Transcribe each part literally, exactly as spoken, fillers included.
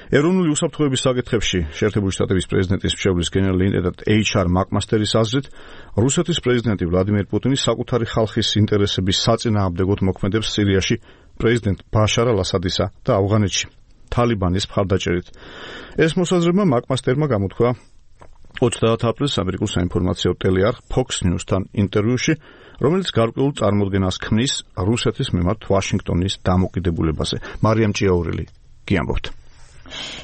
ეროვნული უსაფრთხოების საკითხებში შეერთებული შტატების პრეზიდენტის მრჩევლის გენერალური ინტენდანტ ეიჩ არ მაკმასტერის აზრით, რუსეთის პრეზიდენტი ვლადიმერ პუტინი საკუთარი ხალხის ინტერესების საწინააღმდეგოდ მოქმედებს სირიაში პრეზიდენტ ბაშარ ალ-ასადისა და ავღანეთში თალიბანის მხარდაჭერით. ეს მოსაზრება მაკმასტერმა გამოთქვა ოცდაათ აპრილს ამერიკულ საინფორმაციო ტელეარხ Fox News-თან ინტერვიუში, რომელიც გარკვეულ წარმოდგენას ქმნის რუსეთის მიმართ ვაშინგტონის დამოკიდებულებაზე. მარიამ ჭიაურელი გიამბობთ.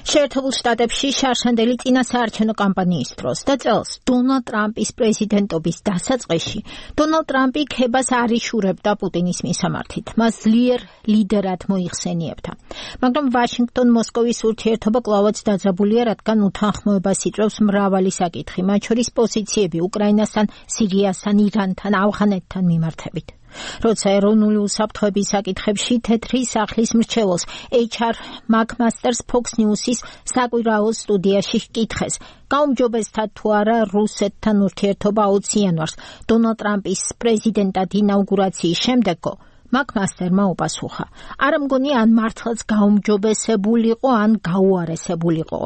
შეერთებულ შტატებში შარშანდელი წინასაარჩევნო კამპანიის დროს და წელს დონალდ ტრამპის პრეზიდენტობის დასაწყისში დონალდ ტრამპი ქებას არ იშურებდა პუტინის მისამართით. მას ძლიერ ლიდერად მოიხსენიებდა. მაგრამ ვაშინგტონ-მოსკოვის ურთიერთობა კვლავაც დაძაბულია, რადგან უთანხმოებას იწვევს მრავალი საკითხი, მათ შორის პოზიციები უკრაინასთან, სირიასთან, ირანთან, ავღანეთთან მიმართებით. როცა ეროვნული უსაფრთხოების საკითხებში თეთრი სახლის მრჩეველს ეიჩ არ მაკმასტერს Fox News-ის საკვირაო სტუდიაში ჰკითხეს, გაუმჯობესდა თუ არა რუსეთთან ურთიერთობა აუცი იანვარს დონალდ ტრამპის პრეზიდენტად ინაუგურაციის შემდეგო, მაკმასტერმა უპასუხა: არ მგონი ან მართლაც გაუმჯობესებულიყო, ან გაუარესებულიყო.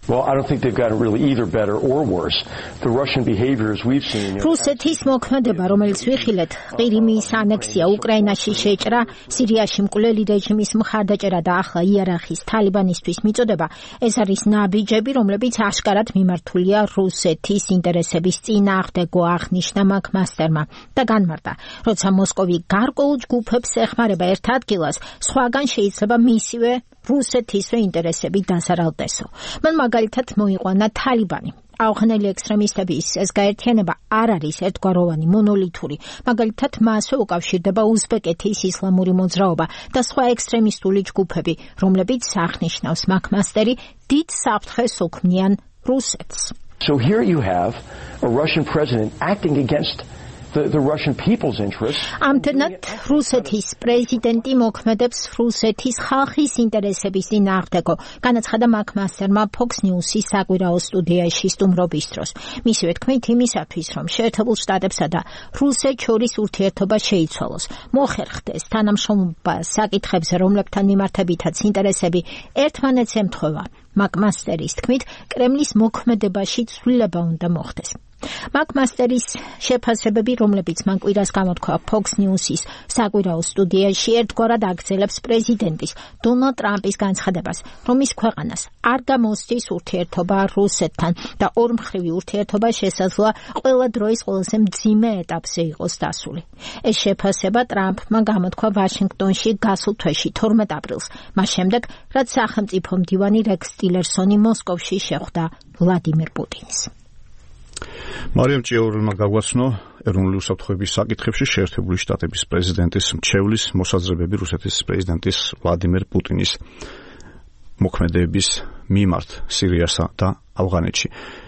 Well, I don't think they've gotten really either better or worse. The Russian behaviors we've seen. რუსეთის მოქმედება, რომელიც ვიხილეთ, ყირიმის ანექსია, უკრაინაში შეჭრა, სირიაში მკვლელი რეჟიმის მხარდაჭერა და ახლა იარაღის თალიბანისთვის მიწოდება, ეს არის ნაბიჯები, რომლებიც აშკარად მიმართულია რუსეთის ინტერესების წინააღმდეგო, აღნიშნა მაკმასტერმა და განმარტა, როცა მოსკოვი გარკვეულ ჯგუფებს ეხმარება ერთ ადგილას, სხვაგან შეიძლება მისივე რუსეთისვე ინტერესები დასარალდესო. მან მაგალითად მოიყვანა თალიბანი. ავღანელი ექსტრემისტების ეს გაერთიანება არ არის ერთგვაროვანი, მონოლითური. მაგალითად, მასვე უკავშირდება უზბეკეთის ისლამური მოძრაობა და სხვა ექსტრემისტული ჯგუფები, რომლებიც აღნიშნავს მაკმასტერი, დიდ საფრთხეს უქმნიან რუსეთს. So here you have a Russian president acting against The, the Russian people's interests. Ამდენად რუსეთის პრეზიდენტი მოქმედებს რუსეთის ხალხის ინტერესების წინააღმდეგო, განაცხადა მაკმასტერმა Fox News-ის საკვირაო სტუდიაში სტუმრობის დროს. მისივე თქმით, იმისათვის, რომ შეერთებულ შტატებსა და რუსეთს შორის ურთიერთობა შეიცვალოს, მოხერხდეს თანამშრომლობა საკითხებზე, რომლებთან მიმართებითაც ინტერესები ერთმანეთს ემთხვევა. მაკმასტერის თქმით, კრემლის მოქმედებაში ცვლილება უნდა მოხდეს. მაკმასტერის შეფასებები, რომლებიც მან კვირას გამოთქვა Fox News-ის საკვირაო სტუდიაში, ერთგვარად აგრძელებს პრეზიდენტის დონალდ ტრამპის განცხადებას, რომ ის ქვეყანას არ გამოსცის ურთიერთობა რუსეთთან და ორმხრივი ურთიერთობა შესაძლოა ყველა დროის ყველაზე მძიმე ეტაპზე იყოს დასული. ეს შეფასება ტრამპმა გამოთქვა ვაშინგტონში გასულ თვეში თორმეტ აპრილს, მას შემდეგ, რაც სახელმწიფო მდივანი რექს ტილერსონი მოსკოვში შეხვდა ვლადიმერ პუტინს. მარიამ ჭიაურელმა გაგვაცნო ეროვნული უსაფრთხოების საკითხებში შეერთებული შტატების პრეზიდენტის მრჩევლის მოსაზრებები რუსეთის პრეზიდენტის ვლადიმერ პუტინის მოქმედების მიმართ სირიასა და ავღანეთში.